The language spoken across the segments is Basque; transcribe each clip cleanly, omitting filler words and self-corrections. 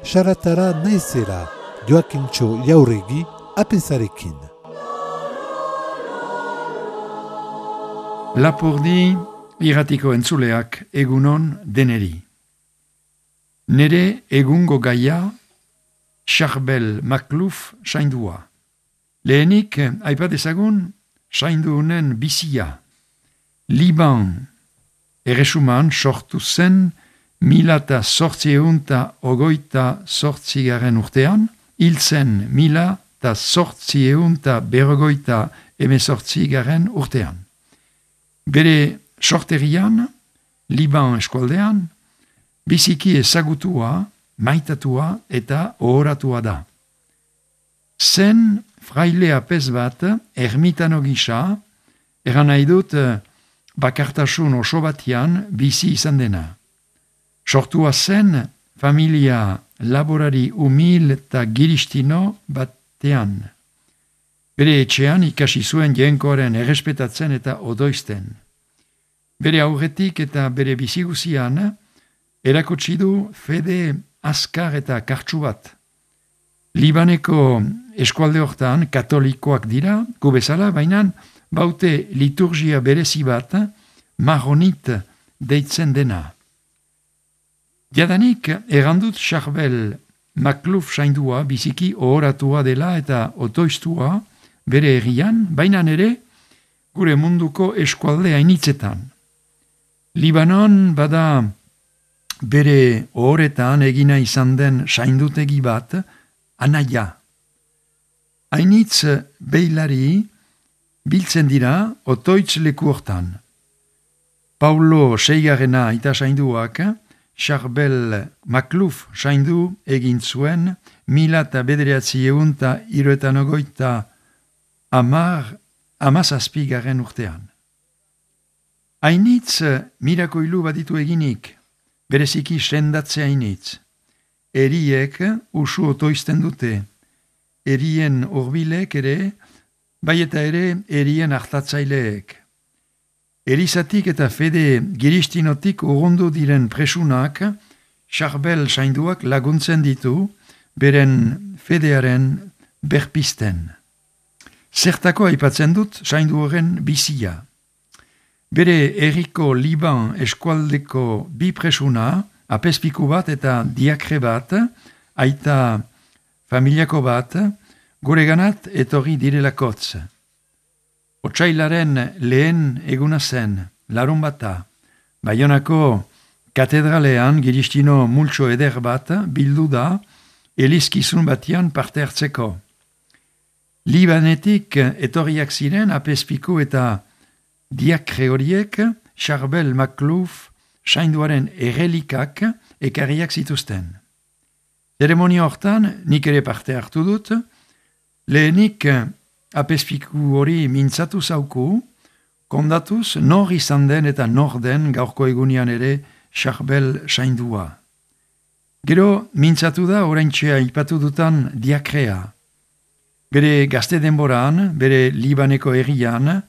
saratara naizera, Joakintxo Jauregi apezarekin. Lapurdi irratiko entzuleak egunon deneri. Nere egungo gaia Charbel Maclouf saindua. Lehenik aipat ezagun sainduunen bizia. Liban erresuman sortu zen 1808 urtean, hil zen 1848 urtean. Bere sorterian, Liban eskualdean, biziki ezagutua, maitatua eta ohoratua da. Zen fraile apez bat, ermitano gisa, eran nahi dut bakartasun oso batian bizi izan dena. Sortua zen familia laborari humil eta giristino batean. Bere etxean ikasi zuen jenkoaren errespetatzen eta odoizten. Bere aurretik eta bere biziguzian erakutsi du fede azkar eta kartsu bat. Libaneko eskualde hortan katolikoak dira, gu bezala, baina baute liturgia berezi bat, maronit deitzen dena. Jadanik errandut Charbel Maclouf saindua biziki ohoratua dela eta otoiztua bere herrian, baina ere gure munduko eskualde hainitzetan. Libanon bada bere ohoretan egina izan den saindutegi bat, Anaia. Hainitz beilari biltzen dira otoitz leku hortan. Paulo Seigarrena aita sainduak Charbel Maclouf saindu egin zuen 1998 urtean. Hainitz mirakoilu baditu eginik, bereziki sendatzea hainitz. Eriek usu otoizten dute, erien urbilek ere, bai eta ere erien hartatzaileek. Elizatik eta fede giristinotik urrundu diren presunak, Charbel sainduak laguntzen ditu, beren fedearen berpisten. Zertako aipatzen dut saindu horren bizia. Bere herriko Liban eskualdeko bi presuna, apezpiku bat eta diakre bat, aita familiako bat, gureganat etorri direlakotz. Otsailaren lehen eguna zen, larun bata, Baionako katedralean giristino multxo eder bat bildu da elizkizun batian parte hartzeko. Libanetik etorriak ziren apezpiku eta diakre horiek Charbel Maclouf sainduaren errelikak ekarriak zituzten. Zeremonia hortan nik ere parte hartu dut, lehenik apezpiku hori mintzatu zauku, kondatuz nor izan den eta nor den gaurko egunian ere Charbel saindua. Gero mintzatu da oraintxe aipatu dutan diakrea. Bere gazte denboran, bere Libaneko herrian,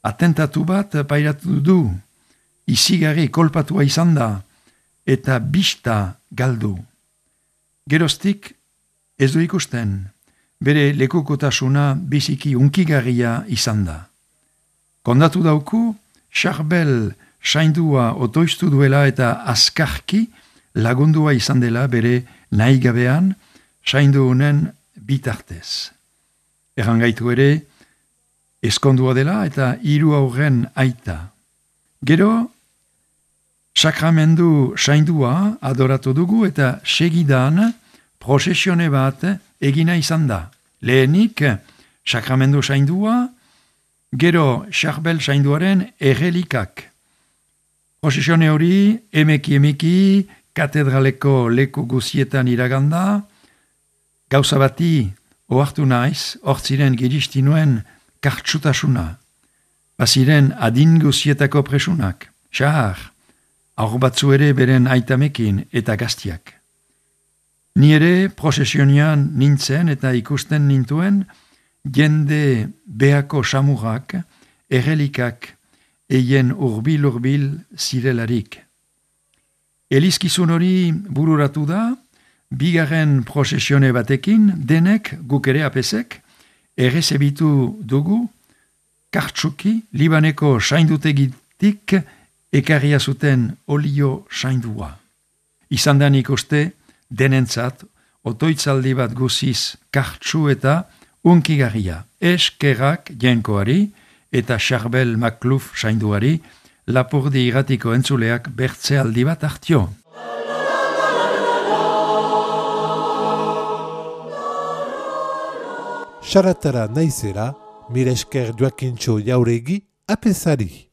atentatu bat pairatu du, izigarri kolpatua izan da, eta bista galdu. Geroztik ez du ikusten, bere lekukotasuna biziki unkigarria izan da. Kondatu dauku, Charbel saindua otoiztu duela eta azkarki lagundua izan dela bere nahigabean saindu honen bitartez. Errangaitu ere, eskondua dela eta 3 aurren aita. Gero, sakramendu saindua adoratu dugu eta segidan prosesione bat egina izan da. Lehenik, sakramendu saindua, gero Charbel sainduaren errelikak. Prosesione hori emeki katedraleko leku guzietan iraganda, gauza bati ohartu naiz, hortziren giristinoen kartsutasuna. Baziren adin guzietako presunak, xahar, aur batzu ere beren aitamekin eta gaztiak. Ni ere prosesionian nintzen eta ikusten nintuen jende beako samurak, errelikak eien urbil zirelarik. Elizkizun hori bururatu da, bigarren prozesione batekin, denek, guk ere apesek, errezebitu dugu, kartsuki, Libaneko saindutegitik ekarria zuten olio saindua. Izan da nik uste, denentzat, otoitzaldi bat guziz kartsu eta unkigarria. Eskerrak jenkoari eta Charbel Makluf sainduari, Lapurdi Irratiko entzuleak bertzealdi bat hartio. Saratara naizera, mire esker Joakintxo Jauregi apesari.